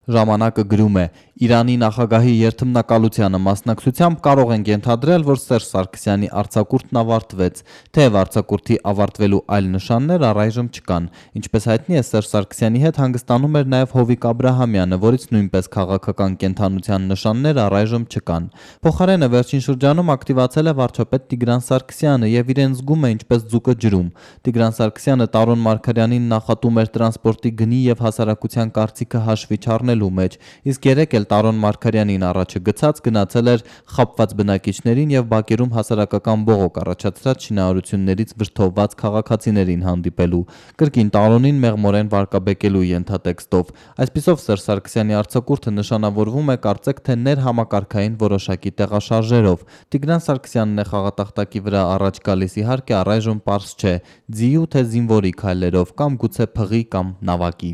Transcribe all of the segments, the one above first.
Ժամանակը գրում է. Իրանի նախագահի երթմնակալությանը մասնակցությամբ կարող ենք ենթադրել, որ Սերժ Սարգսյանի արձակուրդն ավարտվեց, թեև արձակուրդի ավարտվելու այլ նշաններ առայժմ չկան։ Ինչպես հայտնի է, Սերժ Սարգսյանի հետ հանգստանում էր նաև Հովիկ Աբրահամյանը, որից նույնպես քաղաքական կենդանության նշաններ առայժմ չկան։ Փոխարենը վերջին շրջանում ակտիվացել է վարչապետ Տիգրան Սարգսյանը եւ իրեն զգում է ինչպես ձուկը ջրում։ Տիգրան Սարգսյանը Տարոն Մարգարյանին նախատում էր տրանսպորտի գնի եւ հասարակության կարծիքը հաշվի չառնելու մեջ, իսկ երեկ էլ Տարոն Մարգարյանին առաջը գցած գնացել էր խաբված բնակիչներին եւ բակերում հասարակական բողոք առաջացրած շինարարություններից վրդովված քաղաքացիներին հանդիպելու, կրկին Տարոնին մեղմորեն վարկաբեկելու ենթատեքստով։ Այսպիսով Սերժ Սարգսյանի արձակուրդը նշանավորվում է կարծեք թե ներհամակարգային որոշակի տեղաշարժերով։ Տիգրան Սարգսյանն է խաղատախտակի վրա առաջ գալիս, իհարկե առայժմ պարզ չէ՝ ձիու թե զինվորի քայլերով կամ գուցե փղի կամ նավակի։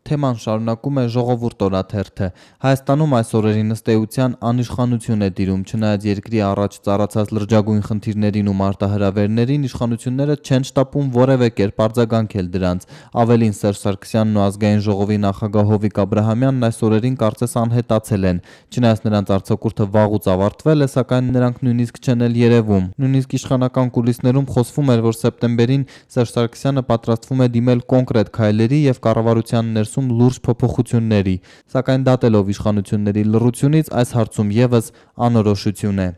Թեման շարունակում է Ժողովուրդ օրաթերթը։ Հայաստանում այս օրերին ըստ էության անիշխանություն է տիրում, չնայած երկրի առաջ ծառացած լրջագույն խնդիրներին ու մարտահրավերներին իշխանությունները չեն շտապում որևէ կերպ արձագանքել դրանց։ Ավելին, Սերժ Սարգսյանն ու Ազգային ժողովի նախագահ Հովիկ Աբրահամյանն այս օրերին կարծես անհետացել են։ Չնայած նրանց արձակուրդը վաղուց ավարտվել է, սակայն նրանք նույնիսկ չեն էլ երևում։ Նույնիսկ իշխանական կուլիսներում խոսվում էր, որ սեպտեմբերին Սերժ Սարգսյանը պատրաստվում է դիմել կոնկրետ քայլերի եւ կառավարության ներսում լուրջ փոփոխությունների, սակայն դատելով իշխանությունների լռությունից այս հարցում եւս անորոշություն է։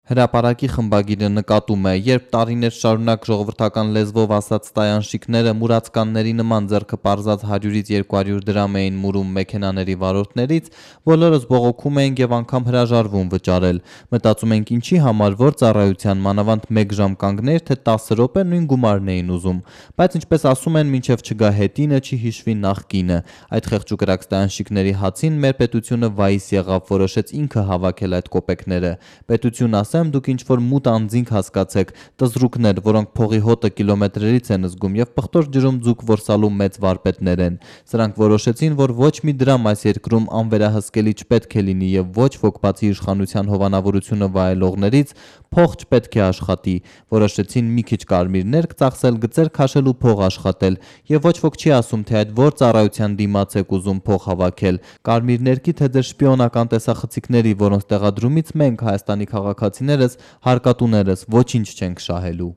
Հրապարակի խմբագիրը նկատում է, երբ տարիներ շարունակ ժողովրդական լեզվով ասած տայանշիկները մուրացկանների նման ձեռքը պարզած 100-ից 200 դրամ էին մուրում մեքենաների վարորդներից, բոլորս բողոքում էինք եւ անգամ հրաժարվում վճարել։ Մտածում ենք ինչի համար, որ ծառայության մանավանդ 1 ժամ կանգներ, թե 10 րոպե նույն գումարն էին ուզում։ Բայց ինչպես ասում են, մինչև չգա հետինը, չի հիշվի նախկինը։ Այդ խեղճ ու կրակ տայանշիկների հացին մեր պետությունը վայիս եղավ, որոշեց ինքը հավաքել այդ կոպեկները։ Պետություն դուք ինչ-որ մութ անձինք հասկացեք, տզրուկներ, որոնք փողի հոտը կիլոմետրերից են զգում եւ պղտոր ջրում ձուկ որսալու մեծ վարպետներ են։ Սրանք որոշեցին, որ ոչ մի դրամ այս երկրում անվերահսկելի չպետք է լինի եւ ոչ ոք բացի իշխանության հովանավորությունը վայելողներից փող չպետք է աշխատի։ Որոշեցին մի քիչ կարմիրներ ծախսել, գծեր քաշել ու փող աշխատել եւ ոչ ոք չի ասում, թե այդ որ ծառայության դիմաց եք ուզում փող հավաքել։ Կարմիրներքի թե ձեր շպիոնական տեսախցիկների, որոնց տեղադրումից մենք Հայաստանի քաղաքացիներս, հարկատուներս ոչինչ չենք շահելու։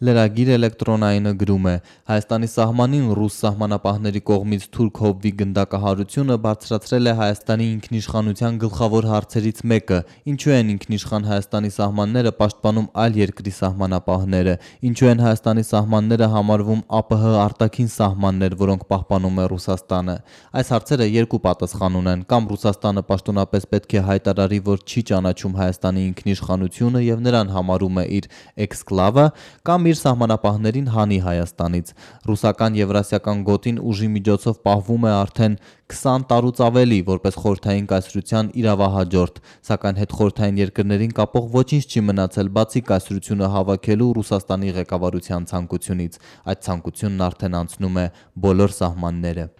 Լրագիր էլեկտրոնայինը գրում է. Հայաստանի սահմանին ռուս սահմանապահների կողմից թուրք հովվի գնդակահարությունը բարձրացրել է Հայաստանի ինքնիշխանության գլխավոր հարցերից մեկը. ինչու են ինքնիշխան Հայաստանի սահմանները պաշտպանում այլ երկրի սահմանապահները, ինչու են Հայաստանի սահմանները համարվում ԱՊՀ արտաքին սահմաններ, որոնք պահպանում է Ռուսաստանը։ Այս հարցերը երկու պատասխան ունեն, կամ Ռուսաստանը պաշտոնապես պետք է հայտարարի, որ չի ճանաչում Հայաստանի ինքնիշխանությունը եւ նրան համարում է իր էքսկլավը, կամ իր սահմանապահներին հանի Հայաստանից։ Ռուսական Եվրասիական գոտին ուժի միջոցով պահվում է արդեն 20 տարուց ավելի որպես խորհրդային կայսրության իրավահաջորդ, սակայն հետխորհրդային երկրներին կապող ոչինչ չի մնացել բացի կայսրությունը հավաքելու Ռուսաստանի ղեկավարության ցանկությունից։ Այդ ցանկությունն արդեն անցնում է բոլոր սահմանները։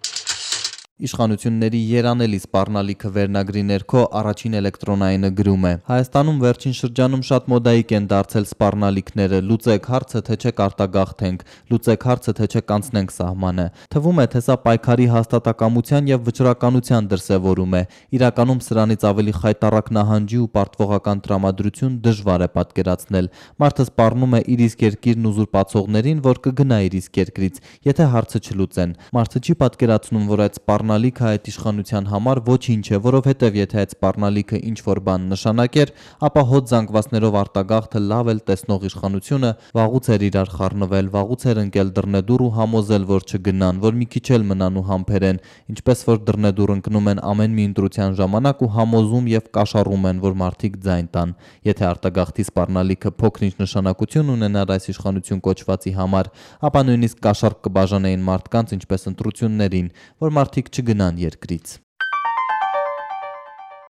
Իշխանությունների երանելի սպառնալիքը վերնագրի ներքո առաջին էլեկտրոնայինը գրում է. Հայաստանում վերջին շրջանում շատ մոդայիկ են դարձել սպառնալիքները, լուծեք հարցը, թե չէ կարտագաղթենք, լուծեք հարցը, թե չէ կանցնենք սահմանը։ Թվում է, թե սա պայքարի հաստատակամության եւ վճռականության դրսեւորում է։ Իրականում սրանից ավելի խայտառակ նահանջի ու պարտվողական տրամադրություն դժվար է պատկերացնել։ Մարդը սպառնում է իր իսկ երկիրն ուզուրպացողներին, որ կգնա իր իսկ երկրից, եթե հարցը չլուծեն։ Մարդը չի պատկերացնում, որ այդ սպառնալիքը այդ իշխանության համար ոչինչ է, որովհետև եթե այդ սպառնալիքը ինչ-որ բան նշանակեր, ապա հոտ զանգվածներով արտագաղթը լավ էլ տեսնող իշխանությունը վաղուց էր իրար խառնվել, վաղուց էր ընկել դռնեդուռ ու համոզել, որ չգնան, որ մի քիչ էլ մնան ու համբերեն, ինչպես որ դռնեդուռ ընկնում են ամեն մի ընտրության ժամանակ ու համոզում եւ կաշառում են, որ մարդիկ ձայն տան։ Եթե արտագաղթի սպառնալիքը փոքր-ինչ նշանակություն ունենար այս իշխանություն կոչվածի համար, ապա նույնիսկ կաշառք կբաժանեին մարդկանց, ինչպես ընտրություններին, որ մարդիկ չգնան երկրից։